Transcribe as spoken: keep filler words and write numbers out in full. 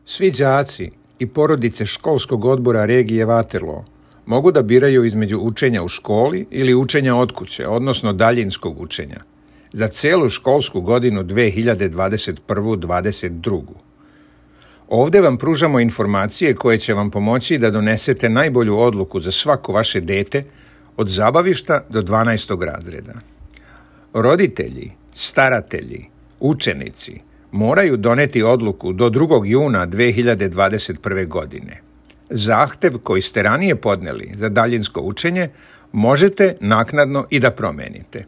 Svi đaci i porodice školskog odbora regije Waterloo mogu da biraju između učenja u školi ili učenja od kuće, odnosno daljinskog učenja, za celu školsku godinu dve hiljade dvadeset prve dvadeset druge. Ovde vam pružamo informacije koje će vam pomoći da donesete najbolju odluku za svako vaše dete od zabavišta do dvanaestog razreda. Roditelji, staratelji, učenici moraju doneti odluku do drugog juna dve hiljade dvadeset prve. godine. Zahtev koji ste ranije podneli za daljinsko učenje možete naknadno i da promenite.